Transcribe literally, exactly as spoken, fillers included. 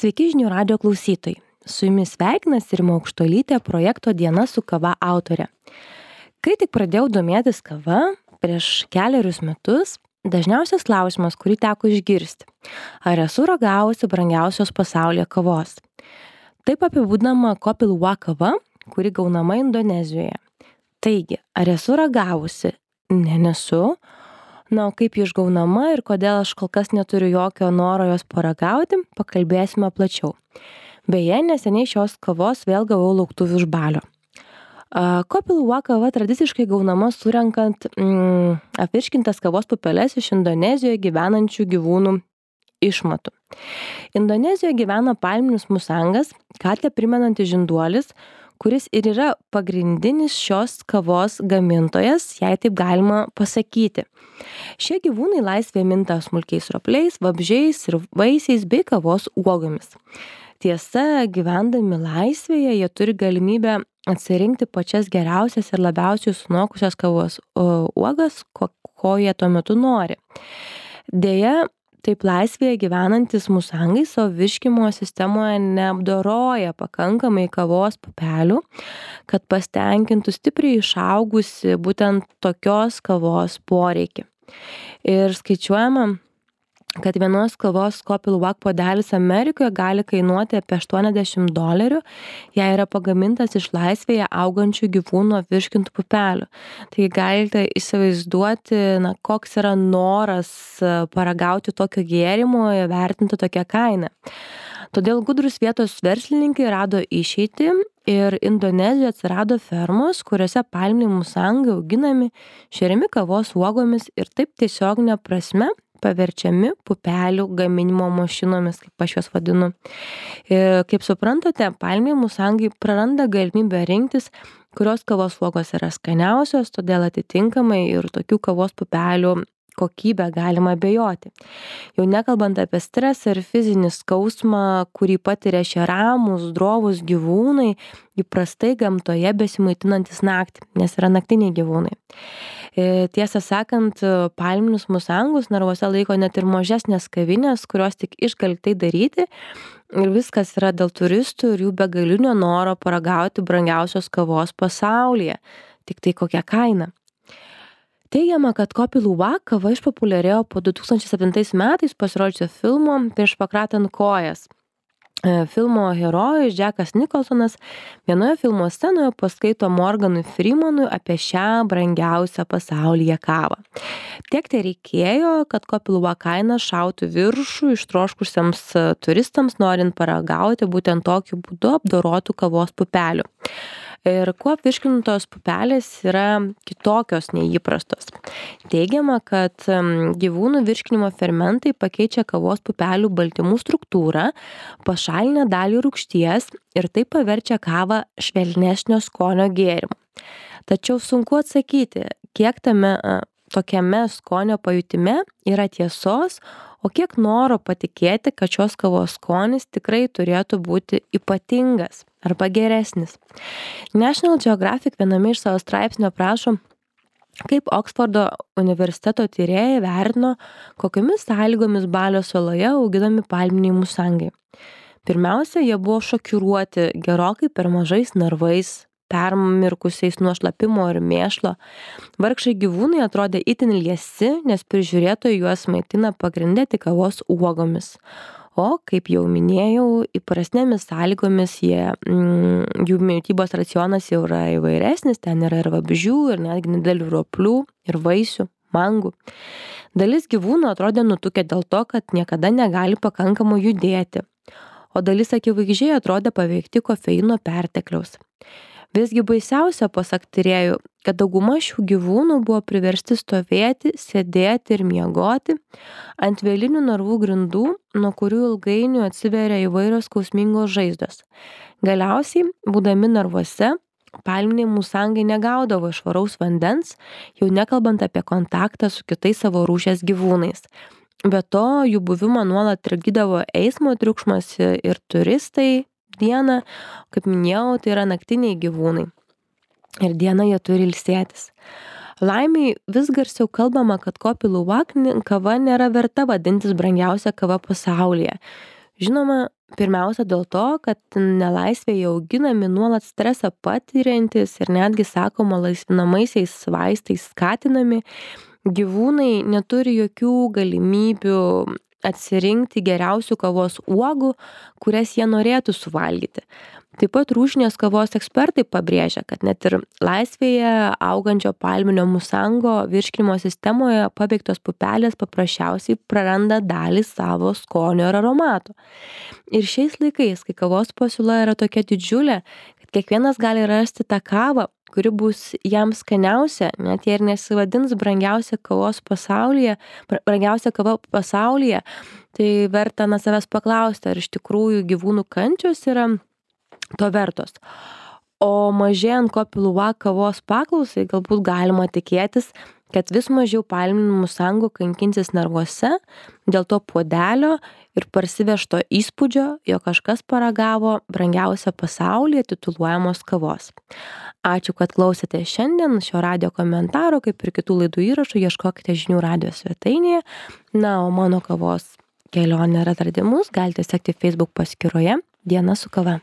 Sveiki žinių radijo klausytojai. Su jumis sveikinasi Rima Aukštuolytė, projekto Diena su kava autorė. Kai tik pradėjau domėtis kava prieš kelerius metus, dažniausias klausimas, kurį teko išgirsti: ar esu ragavusi brangiausios pasaulyje kavos? Taip apibūdinama Kopi Luwak kava, kuri gaunama Indonezijoje. Taigi, ar esu ragavusi? Ne, nesu. Na, o kaip ji išgaunama ir kodėl aš kol kas neturiu jokio noro jos paragauti, pakalbėsime plačiau. Beje, neseniai šios kavos vėl gavau lauktuvių iš balio. Kopi Luwak kava tradiciškai gaunama surenkant mm, apvirškintas kavos pupeles iš Indonezijoje gyvenančių gyvūnų išmatų. Indonezijoje gyvena palminis musangas, katę primenantis žinduolis, kuris ir yra pagrindinis šios kavos gamintojas, jei taip galima pasakyti. Šie gyvūnai laisvėje minta smulkiais ropliais, vabzdžiais ir vaisiais bei kavos uogomis. Tiesa, gyvendami laisvėje, jie turi galimybę atsirinkti pačias geriausias ir labiausiai sunokusias kavos uogas, ko, ko jie tuo metu nori. Deja, taip laisvėje gyvenantis musangai savo virškimo sistemoje neapdoroja pakankamai kavos pupelių, kad pastenkintų stipriai išaugusi būtent tokios kavos poreikį. Ir skaičiuojama, kad vienos kavos Kopi Luwak puodelis Amerikoje gali kainuoti apie aštuoniasdešimt dolerių, jei yra pagamintas iš laisvėje augančių gyvūnų apvirškintų pupelių. Tai galite įsivaizduoti, na, koks yra noras paragauti tokio gėrimo, vertinti tokią kainą. Todėl gudrus vietos verslininkai rado išeitį ir Indonezijoje atsirado fermos, kuriuose palminiai musangai auginami, šeriami kavos uogomis ir taip tiesioginė prasme paverčiami pupelių gaminimo mašinomis, kaip aš juos vadinu. Ir, kaip suprantate, palminiai musangai praranda galimybę rinktis, kurios kavos uogos yra skaniausios, todėl atitinkamai ir tokių kavos pupelių kokybę galima abejoti. Jau nekalbant apie stresą ir fizinį skausmą, kurį patiria šie ramūs, drovūs gyvūnai, įprastai gamtoje besimaitinantis naktį, nes yra naktiniai gyvūnai. Tiesą sakant, palminius musangus narvuose laiko net ir mažesnės kavinės, kurios tik išgali tai daryti, ir viskas yra dėl turistų ir jų begalinio noro paragauti brangiausios kavos pasaulyje. Tik tai kokia kaina. Teigiama, kad Kopi Luwak kava išpopuliarėjo po du tūkstančiai septintais metais pasirodžiusio filmo Prieš pakratant kojas. Filmo herojus Jackas Nicholsonas vienoje filmo scenoje paskaito Morganui Freemanui apie šią brangiausią pasaulyje kavą. Tiek tai reikėjo, kad Kopi Luwak kaina šautų viršų ištroškusiems turistams, norint paragauti būtent tokiu būdu apdorotų kavos pupelių. Ir kuo apvirškintos pupelės yra kitokios nei įprastos. Teigiama, kad gyvūnų virškinimo fermentai pakeičia kavos pupelių baltymų struktūrą, pašalina dalį rūgšties ir tai paverčia kavą švelnesnio skonio gėrimu. Tačiau sunku atsakyti, kiek tame tokiame skonio pajutime yra tiesos, o kiek noro patikėti, kad šios kavos skonis tikrai turėtų būti ypatingas arba geresnis. National Geographic viename iš savo straipsnio aprašo, kaip Oksfordo universiteto tyrėjai vertino, kokiomis sąlygomis Balio saloje auginami palminiai musangai. Pirmiausia, jie buvo šokiruoti gerokai per mažais narvais, permirkusiais nuo šlapimo ir mėšlo. Vargšai gyvūnai atrodė itin liesi, nes prižiūrėtojai juos maitina pagrinde tik kavos uogomis. O, kaip jau minėjau, įprasnėmis sąlygomis jie, mm, jų mitybos racionas jau yra įvairesnis, ten yra ir vabzdžių, ir netgi nedidelių roplių, ir vaisių, mangų. Dalis gyvūnų atrodė nutukę dėl to, kad niekada negali pakankamai judėti, o dalis akivaizdžiai atrodė paveikti kofeino pertekliaus. Visgi baisiausia, pasak tyrėjų, kad dauguma šių gyvūnų buvo priversti stovėti, sėdėti ir miegoti ant vėlinių narvų grindų, nuo kurių ilgainiui atsiveria įvairios skausmingos žaizdos. Galiausiai, būdami narvuose, palminiai musangai negaudavo švaraus vandens, jau nekalbant apie kontaktą su kitais savo rūšies gyvūnais. Be to, jų buvimą nuolat trikdydavo eismo triukšmas ir turistai. Dieną, kaip minėjau, tai yra naktiniai gyvūnai. Ir dieną jie turi ilsėtis. Laimiai vis garsiau kalbama, kad Kopi Luwak kava nėra verta vadintis brangiausia kava pasaulyje. Žinoma, pirmiausia dėl to, kad nelaisvėje auginami nuolat stresą patiriantys ir netgi, sakoma, laisvinamaisiais vaistais skatinami gyvūnai neturi jokių galimybių atsirinkti geriausių kavos uogų, kurias jie norėtų suvalgyti. Taip pat rūšinės kavos ekspertai pabrėžia, kad net ir laisvėje augančio palminio musango virškinimo sistemoje paveiktos pupelės paprasčiausiai praranda dalį savo skonio ir aromato. Ir šiais laikais, kai kavos pasiūla yra tokia didžiulė, kad kiekvienas gali rasti tą kavą, kuri bus jam skaniausia, net jei ir nesivadins brangiausia kavos pasaulyje, brangiausia kava pasaulyje, tai verta na savęs paklausti, ar iš tikrųjų gyvūnų kančios yra to vertos. O mažėjant kopilua kavos paklausai galbūt galima tikėtis, kad vis mažiau palminių musangų kankinsis narvuose dėl to puodelio ir parsivežto įspūdžio, jog kažkas paragavo brangiausią pasaulyje tituluojamos kavos. Ačiū, kad klausėte šiandien šio radijo komentaro, kaip ir kitų laidų įrašų, ieškokite žinių radijo svetainėje. Na, o mano kavos kelionę ir atradimus galite sekti Facebook paskyroje Diena su kava.